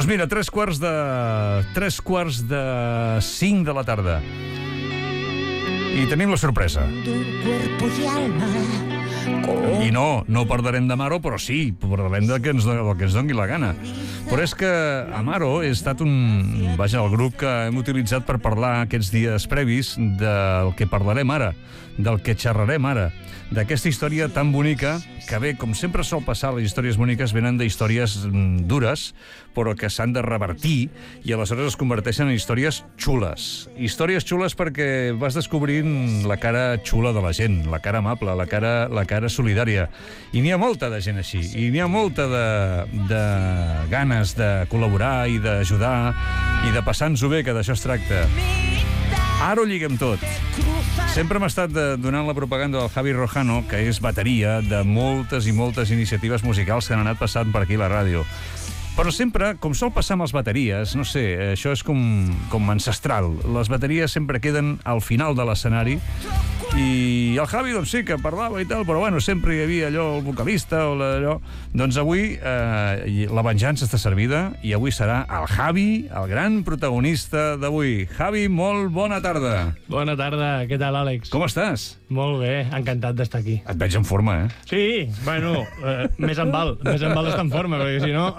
Doncs mira, 3:45 de la tarda. I tenim la sorpresa. I no parlarem d'Amaro, però sí, parlarem del que ens doni la gana. Però és que Amaro ha estat el grup que hem utilitzat per parlar aquests dies previs del que parlarem ara, del que xerrarem ara, d'aquesta història tan bonica que bé, com sempre sol passar, les històries boniques venen d'històries dures, però que s'han de revertir i aleshores es converteixen en històries xules. Històries xules perquè vas descobrint la cara xula de la gent, la cara amable, la cara solidària. I n'hi ha molta de gent així, i n'hi ha molta de ganes de col·laborar i d'ajudar i de passar-nos-ho bé, que d'això es tracta. Ara ho lliguem tot. Sempre hem estat donant la propaganda del Javi Rojano, que és bateria de moltes i moltes iniciatives musicals que han anat passant per aquí a la ràdio. Però sempre, com sol passar amb les bateries, no sé, això és com ancestral. Les bateries sempre queden al final de l'escenari i el Javi, doncs sí, que parlava i tal, però bueno, sempre hi havia allò, el vocalista o allò. Doncs avui la venjança està servida i avui serà el Javi, el gran protagonista d'avui. Javi, molt bona tarda. Bona tarda, què tal, Àlex? Com estàs? Molt bé, encantat d'estar aquí. Et veig en forma, Sí, bueno, més en val estar en forma, perquè si no...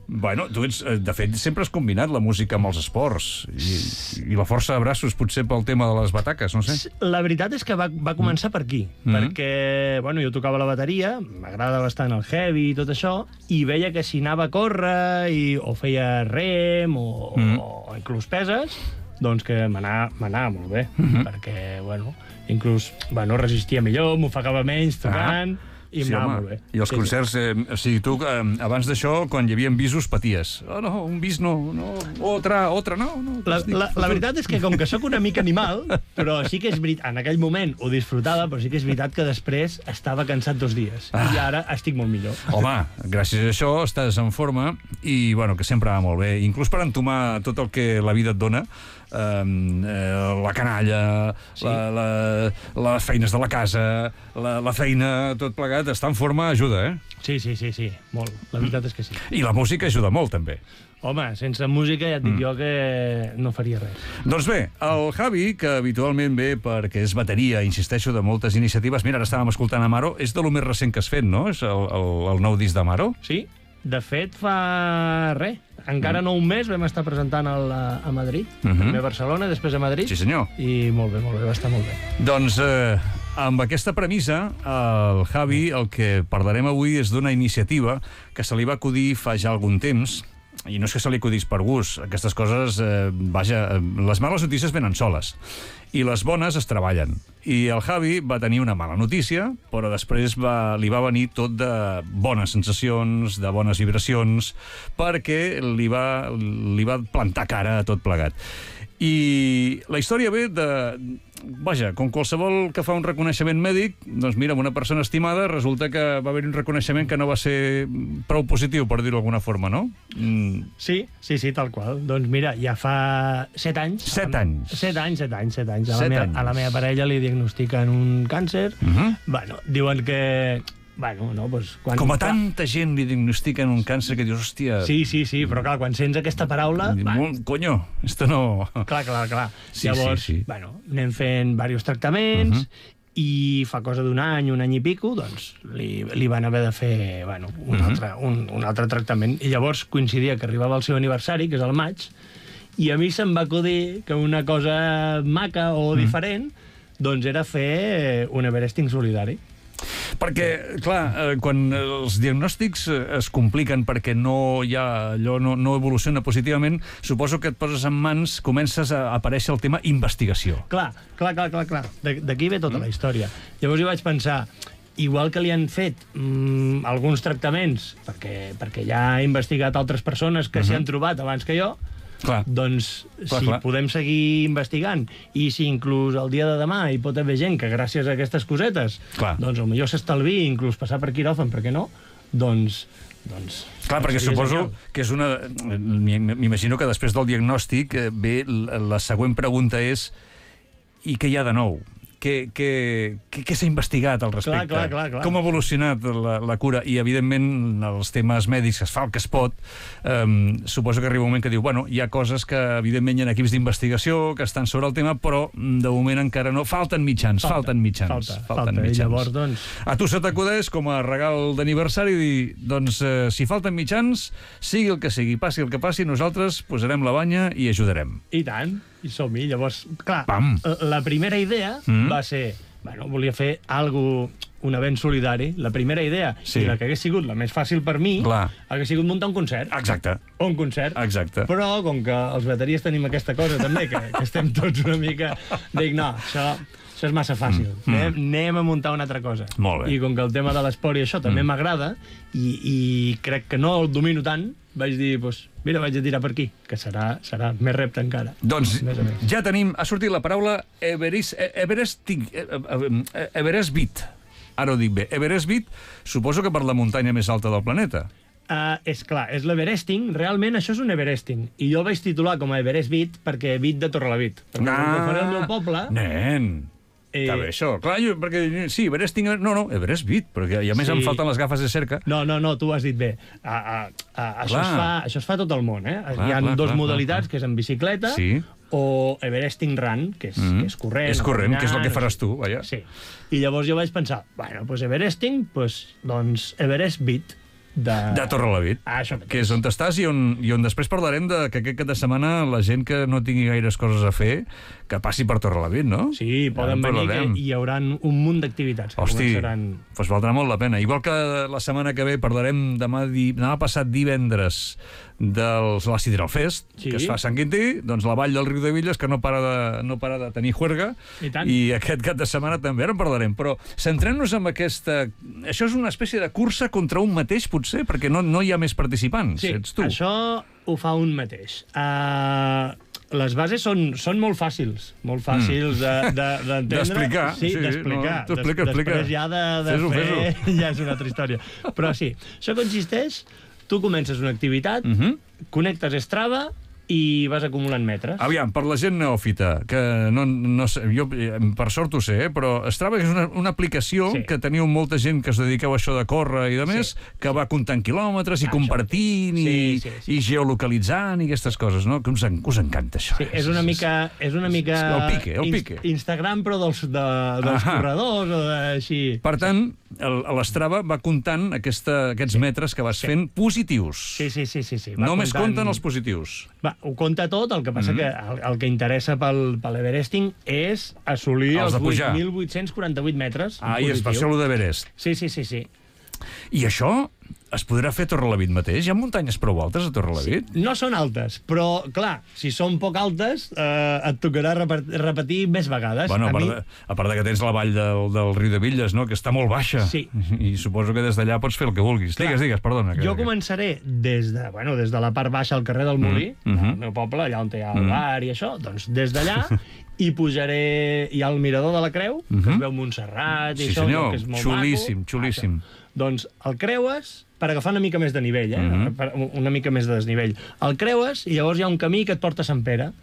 Bueno, tu ets, de fet, sempre has combinat la música amb els esports i la força de braços, potser pel tema de les bataques, no sé. La veritat és que va començar per aquí, perquè, bueno, jo tocava la bateria, m'agrada bastant el heavy i tot això, i veia que si anava a córrer o feia rem o inclús peses, doncs que m'anava molt bé, perquè, bueno, inclús, resistia millor, m'ofegava menys tocant... I sí, molt bé. I els concerts, o sigui, tu abans d'això, quan hi havia bisos, paties. Oh, no, un bis no, otra, no. La veritat és que com que sóc una mica animal, però sí que és veritat, en aquell moment ho disfrutava, però sí que és veritat que després estava cansat 2 dies. I ara estic molt millor. Home, gràcies a això estàs en forma i, bueno, que sempre va molt bé. Inclús per entomar tot el que la vida et dona, la canalla, sí. Les feines de la casa, la feina, tot plegat, estar en forma ajuda, Sí, molt. La veritat és que sí. I la música ajuda molt, també. Home, sense música ja et dic jo que no faria res. Doncs bé, el Javi, que habitualment ve perquè és bateria, insisteixo, de moltes iniciatives, mira, ara estàvem escoltant Amaro, és de lo més recent que has fet, no? És el nou disc d'Amaro? Sí, de fet fa res. Encara no un mes vam estar presentant a Madrid, primer a Barcelona, després a Madrid. Sí, senyor. I molt bé, va estar molt bé. Doncs amb aquesta premissa, el Javi, el que parlarem avui és d'una iniciativa que se li va acudir fa ja algun temps, i no és que se li acudís per gust, aquestes coses, les males notícies venen soles, i les bones es treballen. I el Javi va tenir una mala notícia, però després li va venir tot de bones sensacions, de bones vibracions, perquè li va plantar cara a tot plegat. I la història ve vaja, com qualsevol que fa un reconeixement mèdic, doncs mira, amb una persona estimada resulta que va haver un reconeixement que no va ser prou positiu, per dir-ho d'alguna forma, no? Sí, tal qual. Doncs mira, ja fa 7 anys... 7 anys? 7 anys. A la meva parella li diagnostiquen un càncer. Bueno, diuen que... Bueno, no, doncs... Com a tanta gent li diagnostiquen un càncer que dius, hòstia... Sí, però clar, quan sents aquesta paraula... Coño, esto no... Clar. Llavors, bueno, anem fent diversos tractaments i fa cosa d'un any i pico, doncs li van haver de fer, bueno, un altre tractament. I llavors coincidia que arribava el seu aniversari, que és el maig, i a mi se'm va acudir que una cosa maca o diferent, doncs era fer un Everesting solidari. Perquè, clar, quan els diagnòstics es compliquen perquè no evoluciona positivament, suposo que et poses en mans, comences a aparèixer el tema investigació. Clar. D'aquí ve tota la història. Llavors jo vaig pensar, igual que li han fet alguns tractaments, perquè ja ha investigat altres persones que s'hi han trobat abans que jo, doncs si podem seguir investigant i si inclús el dia de demà hi pot haver gent que gràcies a aquestes cosetes doncs potser s'estalvi inclús passar per quiròfan, per què no? Doncs clar, perquè suposo que és una... M'imagino que després del diagnòstic ve la següent pregunta és i què hi ha de nou? què s'ha investigat al respecte? Clar. Com ha evolucionat la cura? I, evidentment, els temes mèdics es fa el que es pot. Suposo que arriba un moment que diu, bueno, hi ha coses que, evidentment, hi ha equips d'investigació que estan sobre el tema, però, de moment, encara no. Falten mitjans. Falta. I llavors, doncs... A tu se t'acudeix, com a regal d'aniversari, dir, doncs, si falten mitjans, sigui el que sigui, passi el que passi, nosaltres posarem la banya i ajudarem. I tant, i som-hi. Llavors, clar, Pam. la primera idea va ser... Bueno, volia fer un event solidari. La primera idea, Sí. i la que hagués sigut la més fàcil per mi, Clar. hagués sigut muntar un concert. Exacte. Un concert. Exacte. Però, com que els bateries tenim aquesta cosa també, que estem tots una mica... Dic, no, això és massa fàcil. Anem a muntar una altra cosa. Molt bé. I com que el tema de l'esport i això també m'agrada, i crec que no el domino tant, vaig dir, doncs, mira, vaig a tirar per aquí, que serà més repte encara. Doncs Més a més. ja tenim... Ha sortit la paraula Everest Beat. Ara ho dic bé. Everest Beat, suposo que per la muntanya més alta del planeta. És clar, és l'Everesting. Realment això és un Everesting. I jo el vaig titular com a Everest Beat perquè Beat de Torrelavit. Perquè com que faré el meu poble... Nen! Està bé, això. Clar, perquè sí, Everesting... No, Everest Beat, perquè a més em falten les gafes de cerca. No, tu ho has dit bé. Això es fa a tot el món, eh? Hi ha dos modalitats, que és en bicicleta, o Everesting Run, que és corrent. És corrent, que és el que faràs tu, vaja. Sí. I llavors jo vaig pensar, bueno, doncs Everesting, doncs Everest Beat. De Torrelavit, que és on estàs i on després parlarem de que aquest cap de setmana la gent que no tingui gaires coses a fer, que passi per Torrelavit, no? Sí, poden venir, que hi haurà un munt d'activitats. Hosti, doncs valdrà molt la pena. Igual que la setmana que ve parlarem demà passat divendres de l'Àcid Hidral Fest, que es fa a Sant Quintí, doncs la vall del Riu de Villes, que no para de tenir juerga, i aquest cap de setmana també en parlarem. Però centrem-nos en aquesta... Això és una espècie de cursa contra un mateix, potser, perquè no hi ha més participants, ets tu. Sí, això ho fa un mateix. Les bases són molt fàcils d'entendre. D'explicar. Sí, d'explicar. Després ja de fer ja és una altra història. Però sí, això consisteix... Tu comences una activitat, connectes Strava i vas acumulant metres. Aviam, per la gent neòfita, que no sé, jo per sort ho sé, però Strava és una aplicació que teniu molta gent que us dediqueu a això de córrer i de més, que va comptant quilòmetres i compartint i geolocalitzant i aquestes coses, no? Que us encanta això. Sí, és una mica... El pique. Instagram, però dels corredors o així. Per tant, l'Strava va comptant aquests metres que vas fent positius. Sí. Només compten els positius. Ho compta tot, el que passa que el que interessa pel Everesting és assolir els 8.848 metres. I és per això el d'Everest. Sí. I això es podrà fer a Torrelavit mateix? Hi ha muntanyes prou altes a Torrelavit? No són altes, però, clar, si són poc altes, et tocarà repetir més vegades. Bueno, a part que tens la vall del Riu de Villes, no?, que està molt baixa. Sí. I suposo que des d'allà pots fer el que vulguis. Digues, perdona. Jo començaré des de la part baixa al carrer del Molí, del meu poble, allà on hi ha el bar i això, doncs des d'allà i pujaré... Hi ha el mirador de la Creu, que es veu Montserrat i això, que és molt maco. Xulíssim. Doncs el creues per agafar una mica més de nivell, una mica més de desnivell. El creues i llavors hi ha un camí que et porta a Sant Pere.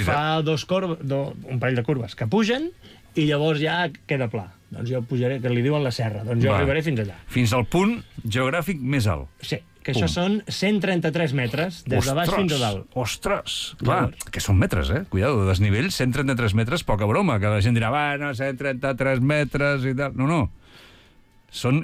Fa un parell de curves que pugen i llavors ja queda pla. Doncs jo pujaré, que li diuen la serra, doncs jo arribaré fins allà. Fins al punt geogràfic més alt. Sí, que això són 133 metres, des de baix fins a dalt. Ostres! Clar, que són metres, Cuidado, de desnivell, 133 metres, poca broma, que la gent dirà, bueno, 133 metres i tal. No.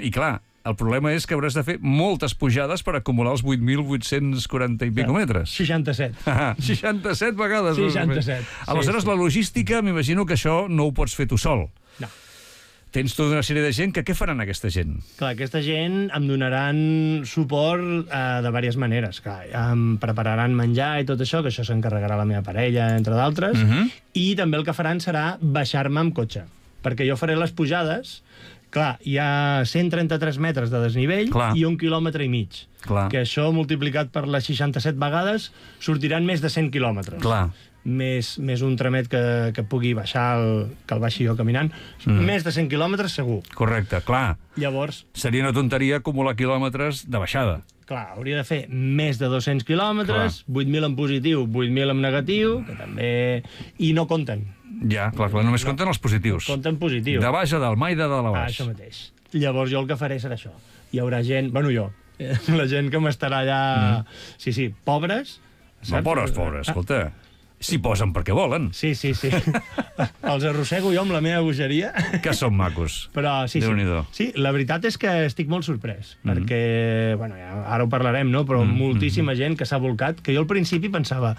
I clar, el problema és que hauràs de fer moltes pujades per acumular els 8.840 i pico metres. 67. 67 vegades. 67. Aleshores, la logística, m'imagino que això no ho pots fer tu sol. No. Tens tota una sèrie de gent, què faran aquesta gent? Clar, aquesta gent em donaran suport de diverses maneres. Clar, em prepararan menjar i tot això, que això s'encarregarà la meva parella, entre d'altres, i també el que faran serà baixar-me amb cotxe, perquè jo faré les pujades. Clar, hi ha 133 metres de desnivell i 1,5 quilòmetres. Que això, multiplicat per les 67 vegades, sortiran més de 100 quilòmetres. Més un tramet que pugui baixar, que el baixi jo caminant. Més de 100 quilòmetres segur. Correcte, clar. Llavors... Seria una tonteria acumular quilòmetres de baixada. Clar, hauria de fer més de 200 quilòmetres, 8.000 en positiu, 8.000 en negatiu, que també... I no compten. Ja, clar, només compten els positius. Compten positius. De baix a dalt, mai de dalt a baix. Això mateix. Llavors jo el que faré serà això. Hi haurà gent, bueno, jo, la gent que m'estarà allà... Sí, pobres. No, pobres, escolta. S'hi posen perquè volen. Sí. Els arrossego jo amb la meva bogeria. Que són macos. Però sí. Sí, la veritat és que estic molt sorprès, perquè, bueno, ja, ara ho parlarem, no? Però moltíssima gent que s'ha volcat, que jo al principi pensava,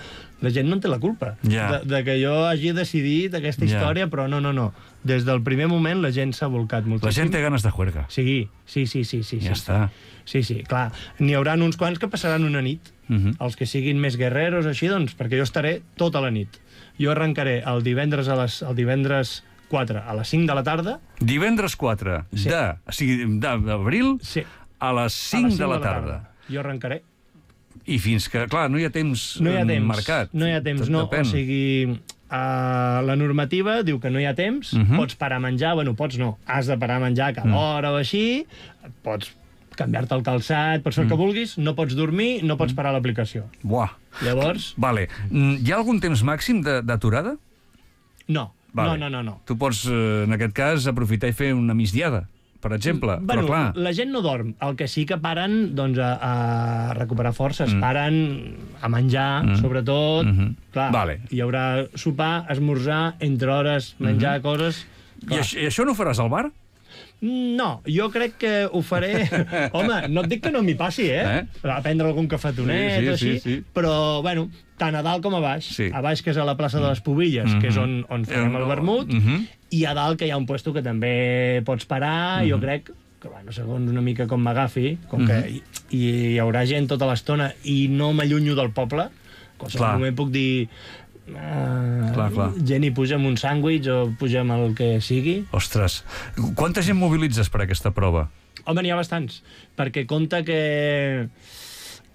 la gent no en té la culpa de que jo hagi decidit aquesta història, però no. Des del primer moment la gent s'ha volcat moltíssim. La gent té ganes de juerga. Sí. Ja està. Sí, clar. N'hi haurà uns quants que passaran una nit. Els que siguin més guerreros, així, doncs, perquè jo estaré tota la nit. Jo arrencaré el divendres 4 a les 5 de la tarda. Divendres 4 d'abril a les 5 de la tarda. Jo arrencaré. I fins que, clar, no hi ha temps marcat. No hi ha temps, no. O sigui, la normativa diu que no hi ha temps, pots parar a menjar, bueno, pots no, has de parar a menjar cada hora o així, pots canviar-te el calçat, pots fer el que vulguis, no pots dormir, no pots parar l'aplicació. Buah. Llavors... Vale. Hi ha algun temps màxim d'aturada? No. Tu pots, en aquest cas, aprofitar i fer una migdiada, per exemple. Bueno, però clar... la gent no dorm. El que sí que paren, doncs, a recuperar forces. Paren a menjar, sobretot. Clar, hi haurà sopar, esmorzar, entre hores, menjar coses... I això no ho faràs al bar? No, jo crec que ho faré... Home, no et dic que no m'hi passi, a prendre algun cafetonet o així, però, bueno, tant a dalt com a baix. A baix, que és a la plaça de les Pubilles, que és on farem el vermut, i a dalt, que hi ha un puesto que també pots parar, jo crec que, bueno, segons una mica com m'agafi, com que hi haurà gent tota l'estona i no m'allunyo del poble, qualsevol moment puc dir... gent hi puja amb un sàndwich o puja amb el que sigui. Ostres, quanta gent mobilitzes per aquesta prova? Home, n'hi ha bastants, perquè compta que,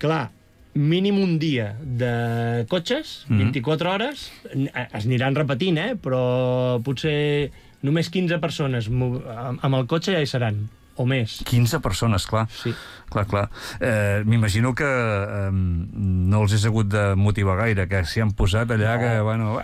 clar, mínim un dia de cotxes, 24 hores, es aniran repetint, però potser només 15 persones amb el cotxe ja hi seran, o més. 15 persones, clar. Sí. Clar. M'imagino que no els has hagut de motivar gaire, que s'hi han posat allà que, bueno,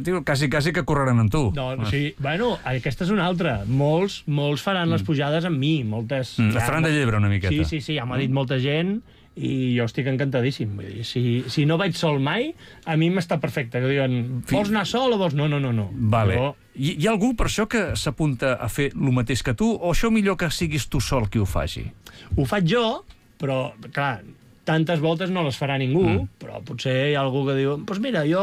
tio, quasi que correran amb tu. Sí, bueno, aquesta és una altra. Molts faran les pujades amb mi, moltes... Estaran de llebre una miqueta. Sí, ja m'ha dit molta gent i jo estic encantadíssim. Vull dir, si no vaig sol mai, a mi m'està perfecte. Que diuen, vols anar sol o vols... No. Vale. Hi ha algú per això que s'apunta a fer el mateix que tu, o això millor que siguis tu sol qui ho faci? Ho faig jo, però, clar, tantes voltes no les farà ningú, però potser hi ha algú que diu, doncs mira, jo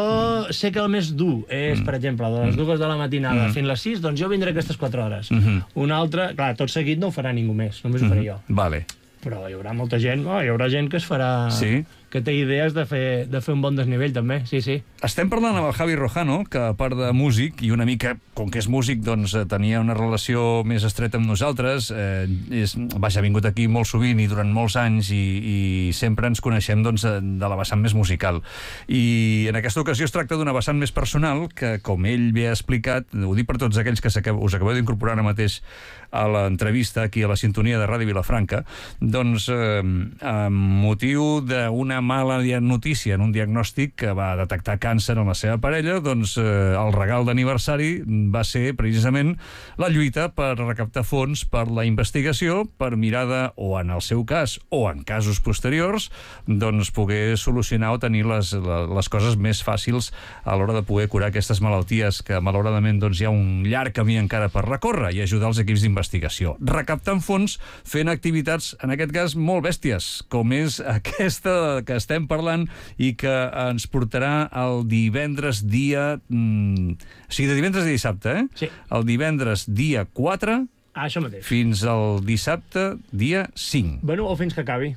sé que el més dur és, per exemple, de les 2 de la matinada fins les 6, doncs jo vindré aquestes 4 hores. Un altre, clar, tot seguit no ho farà ningú més, només ho faré jo. Vale. Però hi haurà molta gent, hi haurà gent que es farà... Sí? Que té idees de fer un bon desnivell, també, sí. Estem parlant amb el Javi Rojano, que a part de músic, i una mica, com que és músic, doncs tenia una relació més estreta amb nosaltres, ha vingut aquí molt sovint i durant molts anys, i sempre ens coneixem doncs, de la vessant més musical. I en aquesta ocasió es tracta d'una vessant més personal, que, com ell bé ha explicat, ho dic per tots aquells que us acabeu d'incorporar ara mateix a l'entrevista aquí a la sintonia de Ràdio Vilafranca, doncs, amb motiu d'una mala notícia en un diagnòstic que va detectar càncer en la seva parella, doncs el regal d'aniversari va ser precisament la lluita per recaptar fons per la investigació, per mirar de, o en el seu cas, o en casos posteriors, doncs poder solucionar o tenir les coses més fàcils a l'hora de poder curar aquestes malalties que malauradament doncs, hi ha un llarg camí encara per recórrer, i ajudar els equips d'investigació. Recaptant fons fent activitats, en aquest cas, molt bèsties, com és aquesta que estem parlant i que ens portarà el divendres dia... O sigui, de divendres a dissabte, Sí. El divendres dia 4 això mateix. Fins al dissabte dia 5. Bueno, o fins que acabi.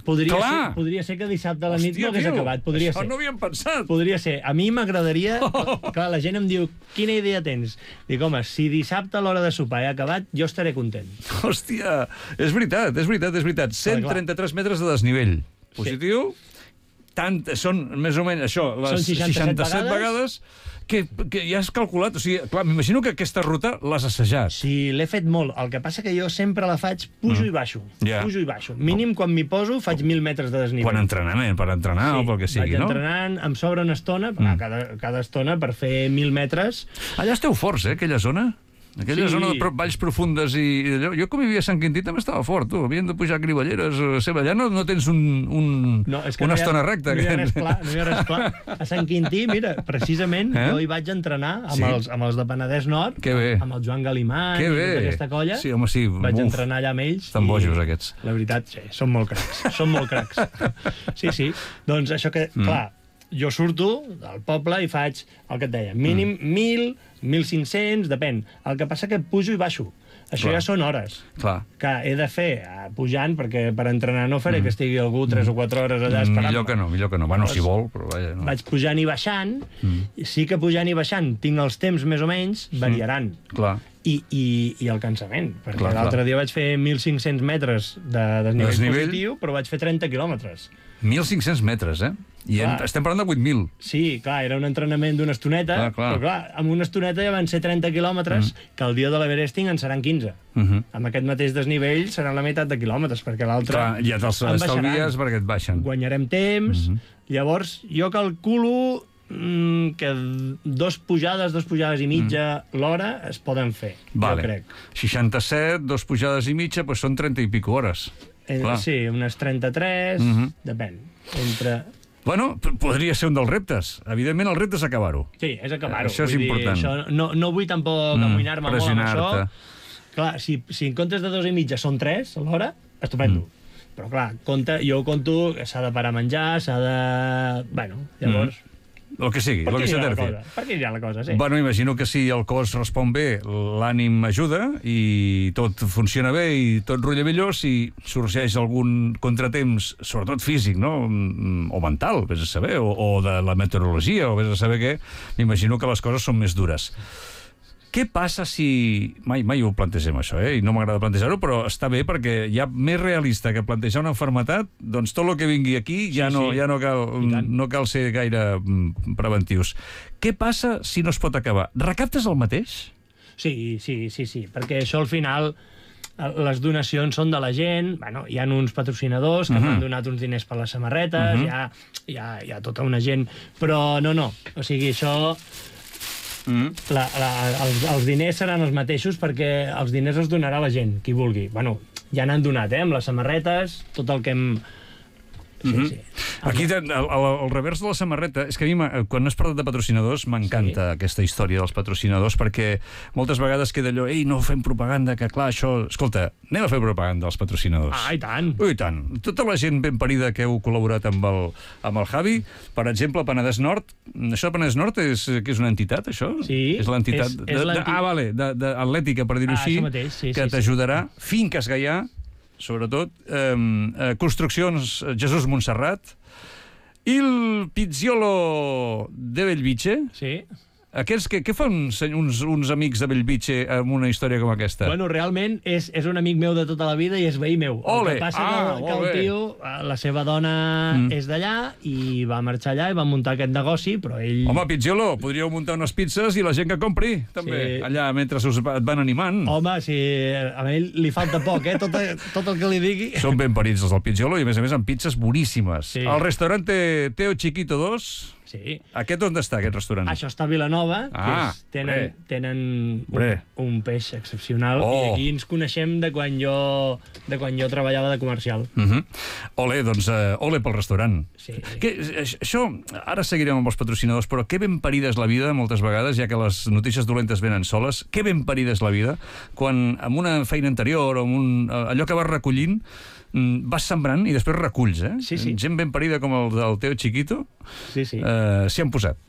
Podria ser que dissabte a la nit no hagués acabat. Això no havíem pensat. Podria ser. A mi m'agradaria... Clar, la gent em diu, quina idea tens? Dic, home, si dissabte a l'hora de sopar he acabat, jo estaré content. Hòstia, és veritat. 133 metres de desnivell. Positiu. Són més o menys això, les 67 vegades que ja has calculat, o sigui, clar, m'imagino que aquesta ruta l'has assajat. Sí, l'he fet molt. El que passa que jo sempre la faig pujo i baixo. Ja. Pujo i baixo. Mínim, quan m'hi poso, faig 1.000 metres de desnivell. Per entrenar o pel que sigui, no? Vaig entrenant, em sobra una estona, cada estona per fer 1.000 metres. Allà esteu forts, aquella zona? Aquella zona de valls profundes i allò. Jo, com hi havia a Sant Quintí, també estava fort, tu. Havien de pujar a Criballeres. Allà no tens una estona recta. No hi ha res pla, no hi ha res pla. A Sant Quintí, mira, precisament, jo hi vaig entrenar amb els de Penedès Nord, amb el Joan Galimany i tota aquesta colla. Sí, home, sí. Vaig entrenar allà amb ells. Estan bojos, aquests. La veritat, sí, són molt cracs. Són molt cracs. Sí. Doncs això que, clar, jo surto del poble i faig el que et deia, mínim 1.000, 1.500, depèn. El que passa que pujo i baixo. Això ja són hores que he de fer pujant, perquè per entrenar no faré que estigui algú 3 o 4 hores allà esperant. Millor que no. Bueno, si vol, però vaja. No. Vaig pujant i baixant, sí que pujant i baixant tinc els temps més o menys, variaran. Clar. I el cansament, perquè l'altre dia vaig fer 1.500 metres de desnivell positiu, però vaig fer 30 quilòmetres. 1.500 metres, I estem parlant de 8.000. Sí, clar, era un entrenament d'una estoneta, però clar, amb una estoneta ja van ser 30 quilòmetres, que el dia de l'Everesting en seran 15. Amb aquest mateix desnivell seran la meitat de quilòmetres, perquè l'altre... Clar, ja te'ls estalvies perquè et baixen. Guanyarem temps, llavors jo calculo que 2 pujades i mitja l'hora es poden fer, jo crec. 67, 2 pujades i mitja, doncs són 30 i pico hores. Sí, unes 33, depèn. Bueno, podria ser un dels reptes. Evidentment, el repte és acabar-ho. Sí, és acabar-ho. Això és important. No vull tampoc amoïnar-me molt amb això. Clar, si en comptes de 2 i mitja són 3 a l'hora, estupendo. Però clar, jo conto que s'ha de parar a menjar, s'ha de... Bueno, llavors... El que sigui, el que s'ha de fer. Per què anirà la cosa, sí. Bueno, imagino que si el cos respon bé, l'ànim ajuda i tot funciona bé i tot rutlla millor. Si sorgeix algun contratemps, sobretot físic, no? O mental, vés a saber, o de la meteorologia, o vés a saber què, m'imagino que les coses són més dures. Què passa si... Mai ho plantegem, això, i no m'agrada plantejar-ho, però està bé perquè hi ha més realista que plantejar una malaltia, doncs tot el que vingui aquí ja no cal ser gaire preventius. Què passa si no es pot acabar? Recaptes el mateix? Sí, perquè això al final... Les donacions són de la gent, hi ha uns patrocinadors que m'han donat uns diners per les samarretes, hi ha tota una gent, però no, o sigui, això... Els diners seran els mateixos perquè els diners els donarà la gent, qui vulgui. Bueno, ja n'han donat, amb les samarretes, tot el que hem... Sí. Aquí, al revers de la samarreta, és que a mi, quan has parlat de patrocinadors, m'encanta aquesta història dels patrocinadors, perquè moltes vegades queda allò, no fem propaganda, que clar, això... Escolta, anem a fer propaganda als patrocinadors. I tant! I tant! Tota la gent ben parida que heu col·laborat amb el Javi, per exemple, Penedès Nord, això de Penedès Nord és una entitat, això? Sí. És l'entitat atlètica, per dir-ho així, que t'ajudarà. Finques Gaià, sobretot, construccions Jesús Montserrat, il Pizziolo de Bellvitge. Sí. Aquests, què fan uns amics de Bellvitge amb una història com aquesta? Bueno, realment és un amic meu de tota la vida i és veí meu. Ole! El que passa que el tio, la seva dona és d'allà i va marxar allà i va muntar aquest negoci, però ell... Home, Pizziolo, podríeu muntar unes pizzas i la gent que compri, també, allà, mentre et van animant. Home, sí, a ell li falta poc, tot el que li digui... Són ben parits els del Pizziolo i, a més, amb pizzas boníssimes. El restaurante Teo Chiquito 2... Sí. Aquest on està, aquest restaurant? Això està a Vilanova, que tenen un peix excepcional, i aquí ens coneixem de quan jo treballava de comercial. Ole, doncs, ole pel restaurant. Sí. Això, ara seguirem amb els patrocinadors, però que ben parida és la vida, moltes vegades, ja que les notícies dolentes venen soles, que ben parida és la vida, quan amb una feina anterior, o allò que vas recollint, vas sembrant i després reculls, Sí. Gent ben parida com el del Teo Chiquito, s'hi han posat.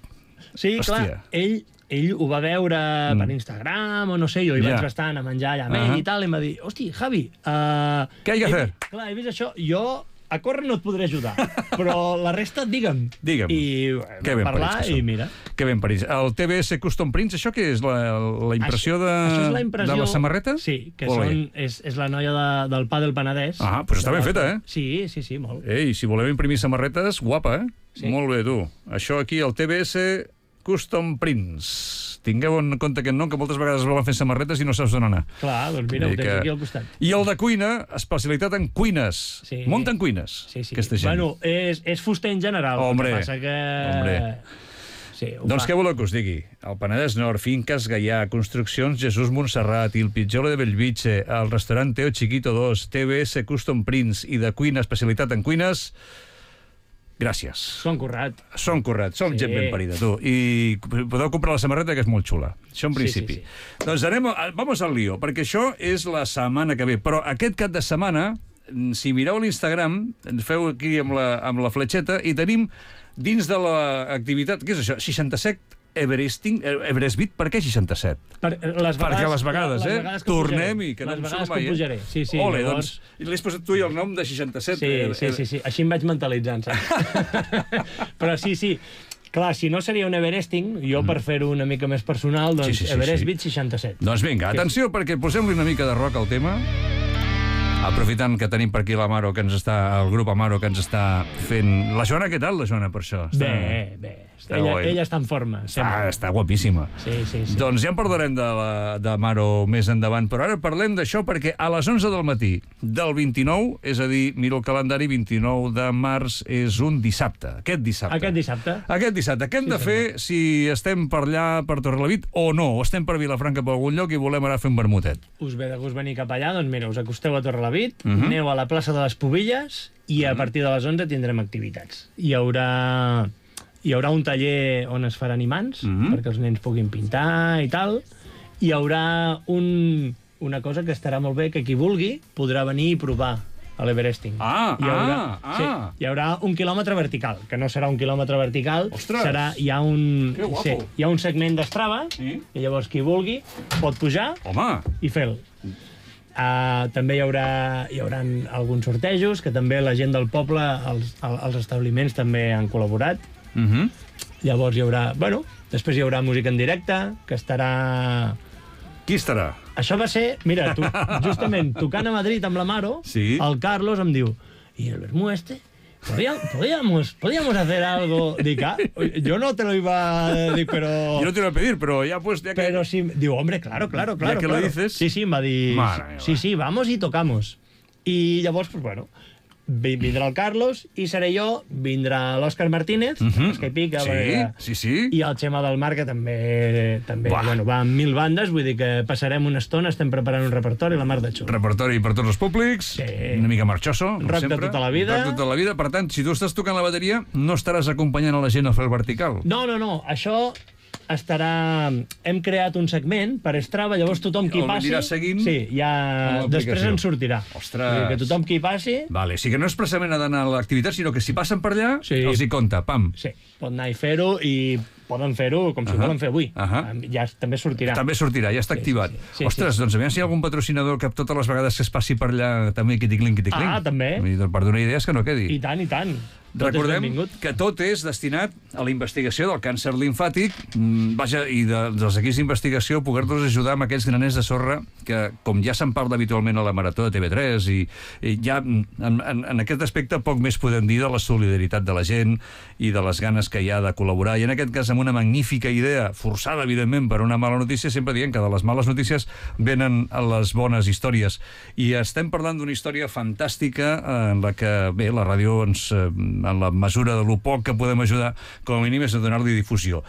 Sí, clar, ell ho va veure per Instagram o no sé, jo hi vaig bastant a menjar allà amb ell i tal, i em va dir, hosti, Javi... Què hay que hacer? Clar, he vist això, jo a córrer no et podré ajudar, però la resta, digue'm. I vam parlar i mira. Que ben parits. El TBS Custom Prints, això què és? La impressió de la samarreta? Sí, que és la noia del Pa del Penedès. Però està ben feta, Sí, molt. Ei, si voleu imprimir samarretes, guapa, Molt bé, tu. Això aquí, el TBS Custom Prints. Tingueu en compte aquest nom, que moltes vegades es volen fer samarretes i no saps d'on anar. Clar, doncs mira, ho tens aquí al costat. I el de cuina, especialitat en cuines. Sí. Munten cuines, aquesta gent. Bueno, és fuster en general. Hombre, el que passa que... Sí, doncs què voleu que us digui? El Penedès Nord, Finques Gaià, Construccions Jesús Montserrat, Il Pidgeolo de Bellvitge, el restaurant Teo Chiquito 2, TBS Custom Prints i de cuina, especialitat en cuines... Gràcies. Són currat. Som gent ben parida, tu. I podeu comprar la samarreta, que és molt xula. Això en principi. Sí. Doncs vamos al lío, perquè això és la setmana que ve. Però aquest cap de setmana, si mireu l'Instagram, ens feu aquí amb la fletxeta, i tenim dins de l'activitat... Què és això? 67 Everestbeat, per què 67? Perquè les vegades, tornem-hi, que no em surt mai. Sí, ole, doncs, l'has posat tu i el nom de 67. Sí, així em vaig mentalitzant, saps? Però sí, clar, si no seria un Everesting, jo per fer-ho una mica més personal, doncs Everestbeat 67. Doncs vinga, atenció, perquè posem-li una mica de rock al tema. Aprofitant que tenim per aquí l'Amaro, el grup Amaro, que ens està fent... La Joana, què tal, la Joana, per això? Bé. Ella està en forma. Està guapíssima. Sí. Doncs ja en parlarem d'Amaro més endavant, però ara parlem d'això perquè a les 11 del matí del 29, és a dir, mira el calendari, 29 de març és un dissabte. Aquest dissabte. Què hem de fer si estem per allà, per Torrelavit, o no? O estem per Vilafranca, per algun lloc, i volem anar a fer un vermutet? Us ve de gust venir cap allà, doncs mira, us acosteu a Torrelavit, aneu a la plaça de les Pubilles i a partir de les 11 tindrem activitats. Hi haurà un taller on es faran imants, perquè els nens puguin pintar i tal. Hi haurà una cosa que estarà molt bé, que qui vulgui podrà venir i provar a l'Everesting. Hi haurà 1 quilòmetre vertical, que no serà 1 quilòmetre vertical, hi ha un segment d'Strava, i llavors qui vulgui pot pujar i fer-lo. També hi haurà alguns sortejos, que també la gent del poble, els establiments també han col·laborat. Llavors hi haurà... Bueno, després hi haurà música en directe, que estarà... Qui estarà? Això va ser... Mira, justament, tocant a Madrid amb l'Amaro, el Carlos em diu, ¿y el vermú este? ¿Podríamos hacer algo? Dic, yo no te lo iba a decir, pero... Yo no te lo iba a pedir, pero ya pues... Ya que... Pero sí, digo, hombre, claro. Ya que lo dices... Sí, em va dir... Sí, vamos y tocamos. I llavors, pues bueno... Vindrà el Carlos i seré jo, vindrà l'Òscar Martínez, que hi pica, i el Xema del Mar, que també va amb 1000 bandes, vull dir que passarem una estona, estem preparant un repertori, la mar de xulo. Repertori per tots els públics, una mica marxoso, com sempre. Rock de tota la vida. Per tant, si tu estàs tocant la bateria, no estaràs acompanyant a la gent a fer el vertical. No, això... Hem creat un segment per Strava, llavors tothom qui passi... Anirà seguint... Sí, després ens sortirà. Ostres! Que tothom qui passi... Vale, o sigui que no és precisament d'anar a l'activitat, sinó que si passen per allà, els hi compta, pam. Sí, pot anar i fer-ho, i poden fer-ho com si ho volen fer avui. Ja també sortirà. També sortirà, ja està activat. Ostres, doncs aviam si hi ha algun patrocinador que totes les vegades que es passi per allà també quiticlin. També. Per donar idees que no quedi. I tant. Recordem que tot és destinat a la investigació del càncer limfàtic, i dels equips d'investigació poder-nos ajudar amb aquells graners de sorra que, com ja se'n parla habitualment a la Marató de TV3, i ja en aquest aspecte poc més podem dir de la solidaritat de la gent i de les ganes que hi ha de col·laborar, i en aquest cas amb una magnífica idea, forçada evidentment per una mala notícia, sempre dient que de les males notícies venen les bones històries, i estem parlant d'una història fantàstica en la que, bé, la ràdio en la mesura de lo poc que podem ajudar, com a mínim és a donar-li difusió.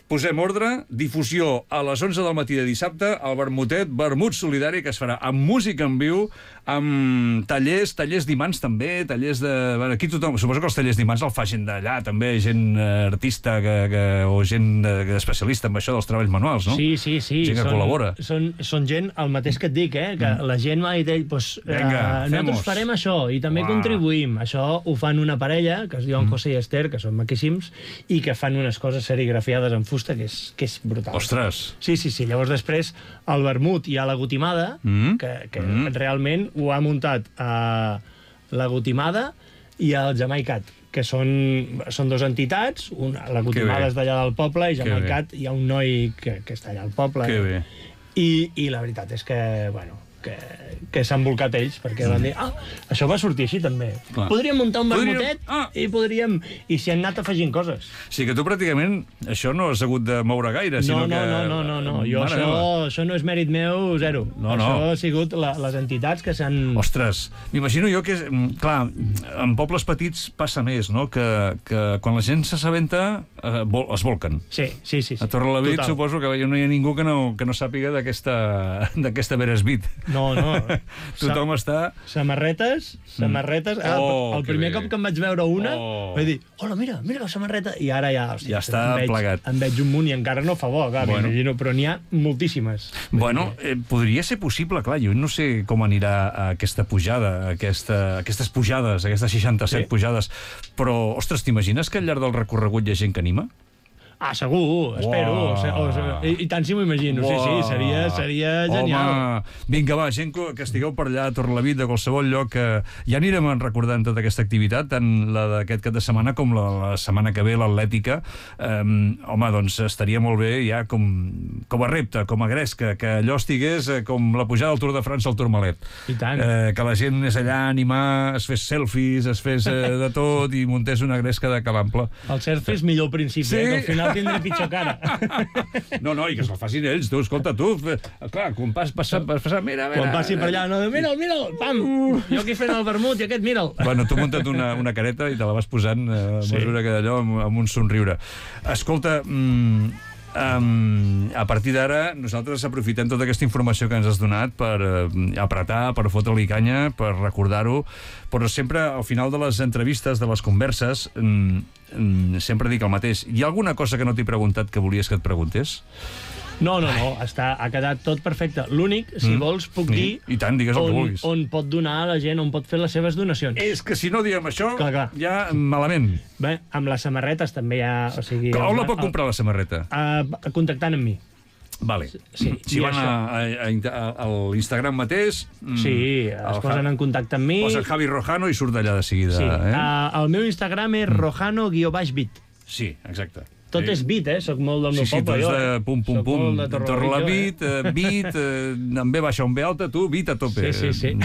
Posem ordre, difusió a les 11 del matí de dissabte, al vermut solidari, que es farà amb música en viu, amb tallers d'imants també, tallers de... Aquí tothom, suposo que els tallers d'imants el fa gent d'allà, també, gent artista o gent especialista en això dels treballs manuals, no? Sí. Gent que col·labora. Són gent, el mateix que et dic, que la gent m'ha dit ell, nosaltres farem això, i també contribuïm. Això ho fan una parella, que es diuen José i Esther, que són maquíssims, i que fan unes coses serigrafiades en fusta que és brutal. Ostres! Sí. Llavors després el vermut hi ha la gotimada, que realment ho ha muntat la gotimada i el Jamaicat, que són dues entitats, la gotimada és d'allà del poble i Jamaicat hi ha un noi que està allà al poble. Que bé. I la veritat és que, bueno, que s'han volcat ells, perquè van dir, això va sortir així també. Clar. Podríem muntar un vermutet i podríem... I s'hi han anat afegint coses. Sí, que tu pràcticament això no has hagut de moure gaire, sinó que... No. Jo això no és mèrit meu, zero. Això ha sigut les entitats que s'han... Ostres, m'imagino jo que... Clar, en pobles petits passa més, no? Que quan la gent s'assabenta es volquen. Sí. A Torrelavit suposo que no hi ha ningú que no sàpiga d'aquesta Beresbit. No. Tothom està... Samarretes. El primer cop que em vaig veure una, vaig dir, hola, mira la samarreta. I ara ja està plegat. En veig un munt i encara no fa bo, clar, m'imagino, però n'hi ha moltíssimes. Bueno, podria ser possible, clar, jo no sé com anirà aquesta pujada, aquestes pujades, aquestes 67 pujades, però, ostres, t'imagines que al llarg del recorregut hi ha gent que anima? Segur, espero. I tant si m'ho imagino. Sí, seria genial. Home, vinga, va, gent que estigueu per allà a Torrelavit, de qualsevol lloc, ja anirem recordant tota aquesta activitat, tant la d'aquest cap de setmana com la setmana que ve, l'atlètica. Home, doncs estaria molt bé ja com a repte, com a gresca, que allò estigués com la pujada del Tour de França al Tourmalet. I tant. Que la gent anés allà a animar, es fes selfies, es fes de tot i muntés una gresca de calample. El selfie és millor al principi, que al final tindré pitjor cara. No, i que se'l facin ells, tu, escolta, tu. Clar, quan passa, mira. Quan passi per allà, mira'l, pam! Jo aquí fent el vermut i aquest, mira'l. Bueno, tu munta't una careta i te la vas posant a mesura que d'allò amb un somriure. Escolta, a partir d'ara nosaltres aprofitem tota aquesta informació que ens has donat per apretar, per fotre-li canya, per recordar-ho, però sempre al final de les entrevistes, de les converses, sempre dic el mateix. Hi ha alguna cosa que no t'he preguntat que volies que et preguntés? No, ha quedat tot perfecte. L'únic, si vols, puc dir I tant, digues el que vulguis. On pot donar a la gent, on pot fer les seves donacions. És que si no diem això, clar. ja malament. Bé, amb les samarretes també hi ha... On la pot comprar, la samarreta? Contactant amb mi. Vale. Sí, si van a l'Instagram mateix... Sí, es posen en contacte amb mi. Posa Javi Rojano i surt d'allà de seguida. Sí, el meu Instagram és rojano_bit. Sí, exacte. Tot és bit, soc molt del meu poble. Sí, tu ets de pum, Torrelavit, bit, amb B baixa, amb B alta, tu, bit a tope. Sí.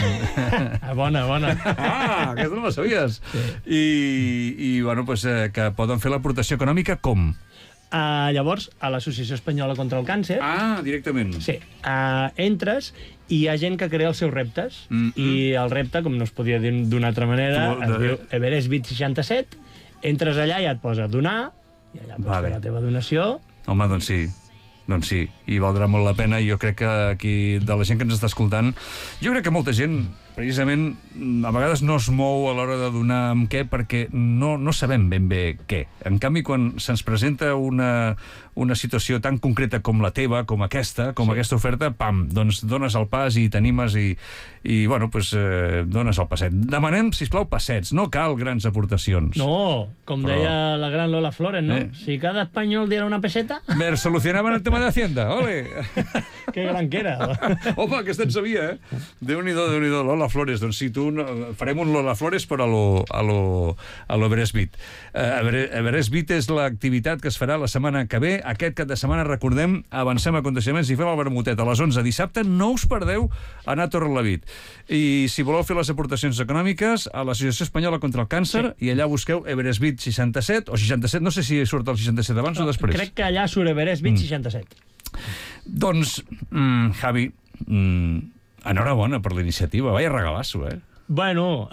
Bona. Aquesta no la sabies. I bueno, que poden fer l'aportació econòmica com? Llavors, a l'Associació Espanyola contra el Càncer... Directament. Sí. Entres i hi ha gent que crea els seus reptes. I el repte, com no es podia dir d'una altra manera, es diu Everest Bit 67. Entres allà i et posa donar, i allà pots fer la teva donació. Home, doncs sí, i valdrà molt la pena. Jo crec que aquí, de la gent que ens està escoltant, jo crec que molta gent, precisament, a vegades no es mou a l'hora de donar amb què, perquè no sabem ben bé què. En canvi, quan se'ns presenta una situació tan concreta com la teva, com aquesta oferta, pam, doncs dones el pas i t'animes i bueno, doncs dones el passet. Demanem, sisplau, passets, no cal grans aportacions. No, com deia la gran Lola Flores, no? Si cada espanyol diera una peseta... Solucionaven el tema de Hacienda, ole! Que gran que era. Home, aquesta en sabia, Déu-n'hi-do, Lola Flores. Doncs sí, farem un Lola Flores, però a lo Everest Bit. Everest Bit és l'activitat que es farà la setmana que ve. Aquest cap de setmana, recordem, avancem aconteixements i fem el vermutet a les 11 dissabte. No us perdeu anar a Torrelavit. I si voleu fer les aportacions econòmiques, a l'Associació Espanyola contra el Càncer, i allà busqueu Everest Bit 67 o 67, no sé si surt el 67 abans o després. Crec que allà surt Everest Bit 67. Doncs, Javi, enhorabona per la iniciativa. Vaya regalazo, Bueno,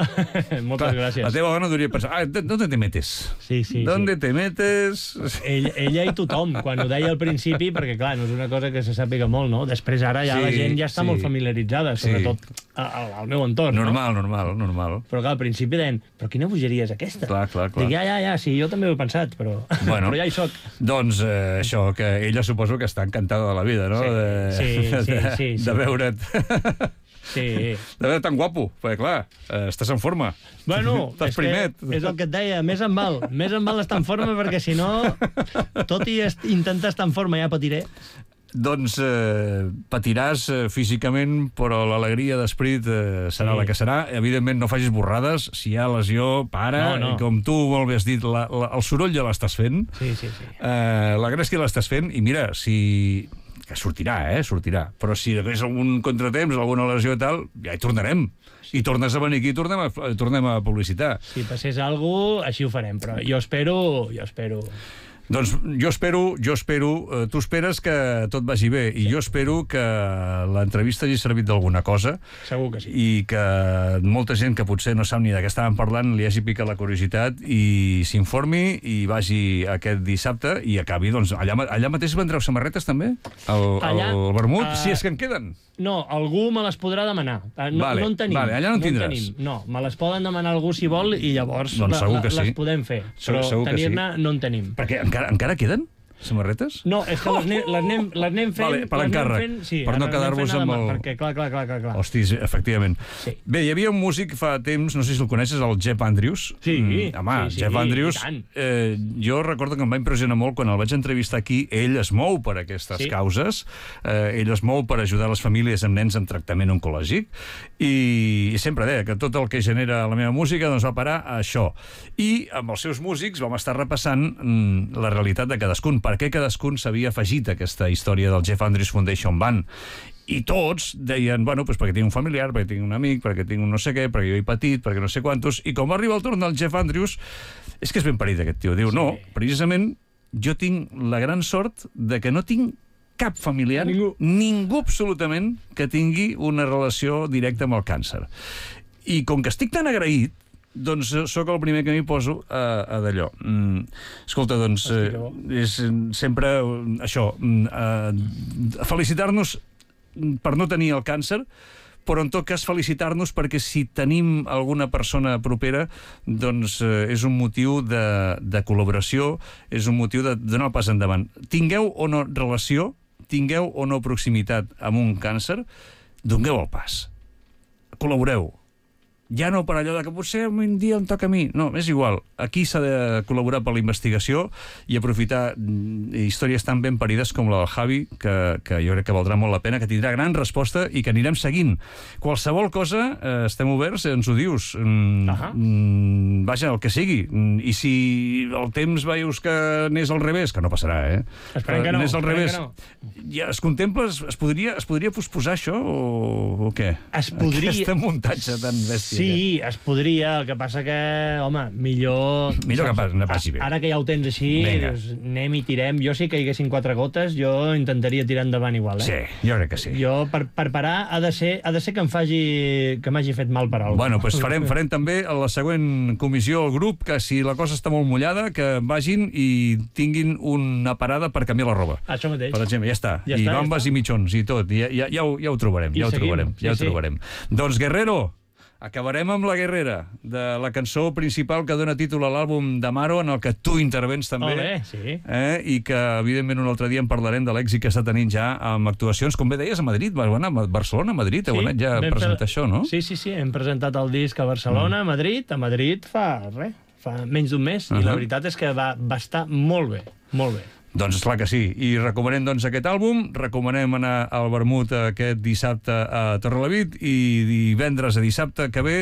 moltes gràcies. La teva dona hauria pensat, ¿dónde te metes? Sí. ¿Dónde te metes? Ella i tothom, quan ho deia al principi, perquè clar, no és una cosa que se sàpiga molt, no? Després ara ja la gent ja està molt familiaritzada, sobretot al meu entorn, normal. Però clar, al principi deien, però quina bogeria és aquesta? Clar. Dic, ja, sí, jo també ho he pensat, però ja hi soc. Doncs això, que ella suposo que està encantada de la vida, no? Sí. De veure't... Sí. De veure tan guapo, perquè clar, estàs en forma. Bueno, és el que et deia, més em val estar en forma, perquè si no, tot i intentar estar en forma ja patiré. Doncs patiràs físicament, però l'alegria d'esperit serà la que serà. Evidentment, no facis borrades. Si hi ha lesió, para. No. Com tu molt bé has dit, el soroll ja l'estàs fent. Sí. La gràcia l'estàs fent. I mira, si que sortirà, sortirà. Però si hi hagués algun contratemps, alguna lesió i tal, ja hi tornarem. I tornes a venir aquí i tornem a publicitar. Si passés alguna cosa, així ho farem, però jo espero... Doncs jo espero, tu esperes que tot vagi bé, i jo espero que l'entrevista hagi servit d'alguna cosa. Segur que sí. I que molta gent que potser no sap ni de què estàvem parlant li hagi picat la curiositat i s'informi i vagi aquest dissabte i acabi, doncs, allà mateix vendreu samarretes també? Al vermut? Si és que en queden. No, algú me les podrà demanar. No en tenim. Vale, allà no en tindràs. No, me les poden demanar algú si vol i llavors doncs les podem fer. Però tenir-ne no en tenim. Perquè encara queden samarretes? No, és que les anem fent... Vale, per l'encàrrec, per no quedar-vos amb el... Perquè, clar. Hostis, efectivament. Sí. Bé, hi havia un músic fa temps, no sé si el coneixes, el Jeff Andrews. Sí. Home, Jeff Andrews, jo recordo que em va impressionar molt quan el vaig entrevistar aquí. Ell es mou per aquestes causes, ell es mou per ajudar les famílies amb nens en tractament oncològic, i sempre deia que tot el que genera la meva música doncs va parar a això. I amb els seus músics vam estar repassant la realitat de cadascun, per què cadascun s'havia afegit a aquesta història del Jeff Andrews Foundation Band. I tots deien, bueno, doncs perquè tinc un familiar, perquè tinc un amic, perquè tinc un no sé què, perquè jo he patit, perquè no sé quantos, i com va arribar el torn del Jeff Andrews, és que és ben parit aquest tio. Diu, no, precisament jo tinc la gran sort de que no tinc cap familiar, ningú absolutament, que tingui una relació directa amb el càncer. I com que estic tan agraït, doncs sóc el primer que m'hi poso a d'allò. Escolta, doncs, és sempre això, felicitar-nos per no tenir el càncer, però en tot cas felicitar-nos perquè si tenim alguna persona propera, doncs és un motiu de col·laboració, és un motiu de donar el pas endavant. Tingueu o no relació, tingueu o no proximitat amb un càncer, dongueu el pas. Col·laboreu. Ja no per allò de que potser un dia em toca a mi. No, és igual. Aquí s'ha de col·laborar per la investigació i aprofitar històries tan ben parides com la del Javi, que jo crec que valdrà molt la pena, que tindrà gran resposta i que anirem seguint. Qualsevol cosa, estem oberts, ens ho dius. Vaja, el que sigui. I si el temps veus que anés al revés, que no passarà, Esperem que no. Anés al revés. Ja es contempla, es podria posposar això o què? Es podria... Aquesta muntatge tan bèstia. Sí, es podria, el que passa que, home, millor que passi bé. Ara que ja ho tens així, doncs, anem i tirem. Jo sí que hi haguessin 4 gotes, jo intentaria tirar endavant igual, Sí, jo crec que sí. Jo, per parar, ha de ser que m'hagi fet mal per alguna cosa. Bueno, doncs farem també a la següent comissió al grup que si la cosa està molt mullada, que vagin i tinguin una parada per canviar la roba. Això mateix. Per exemple, ja està. I bambes i mitjons i tot. Ja ho trobarem, ja ho trobarem. Doncs Guerrero, acabarem amb La Guerrera, de la cançó principal que dona títol a l'àlbum d'Amaro, en el que tu intervens també. Sí. I que, evidentment, un altre dia en parlarem de l'èxit que està tenint ja amb actuacions, com bé deies, a Madrid. Vas anar a Barcelona, a Madrid, heu anat ja a presentar això, no? Sí, hem presentat el disc a Barcelona, a Madrid fa menys d'un mes, i la veritat és que va estar molt bé, molt bé. Doncs esclar que sí. I recomanem doncs aquest àlbum, recomanem anar al vermut aquest dissabte a Torrelavit i divendres a dissabte que ve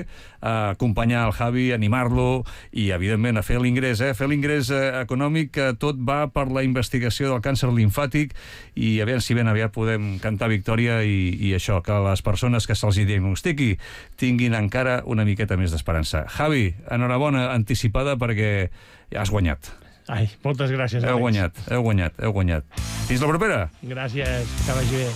a acompanyar el Javi, animar-lo i, evidentment, a fer l'ingrés, fer l'ingrés econòmic, que tot va per la investigació del càncer limfàtic i a veure si ben aviat podem cantar victòria i això, que les persones que se'ls diagnostiqui tinguin encara una miqueta més d'esperança. Javi, enhorabona anticipada perquè ja has guanyat. Ai, moltes gràcies, Àlex. Heu guanyat. Fins la propera. Gràcies, que vagi bé.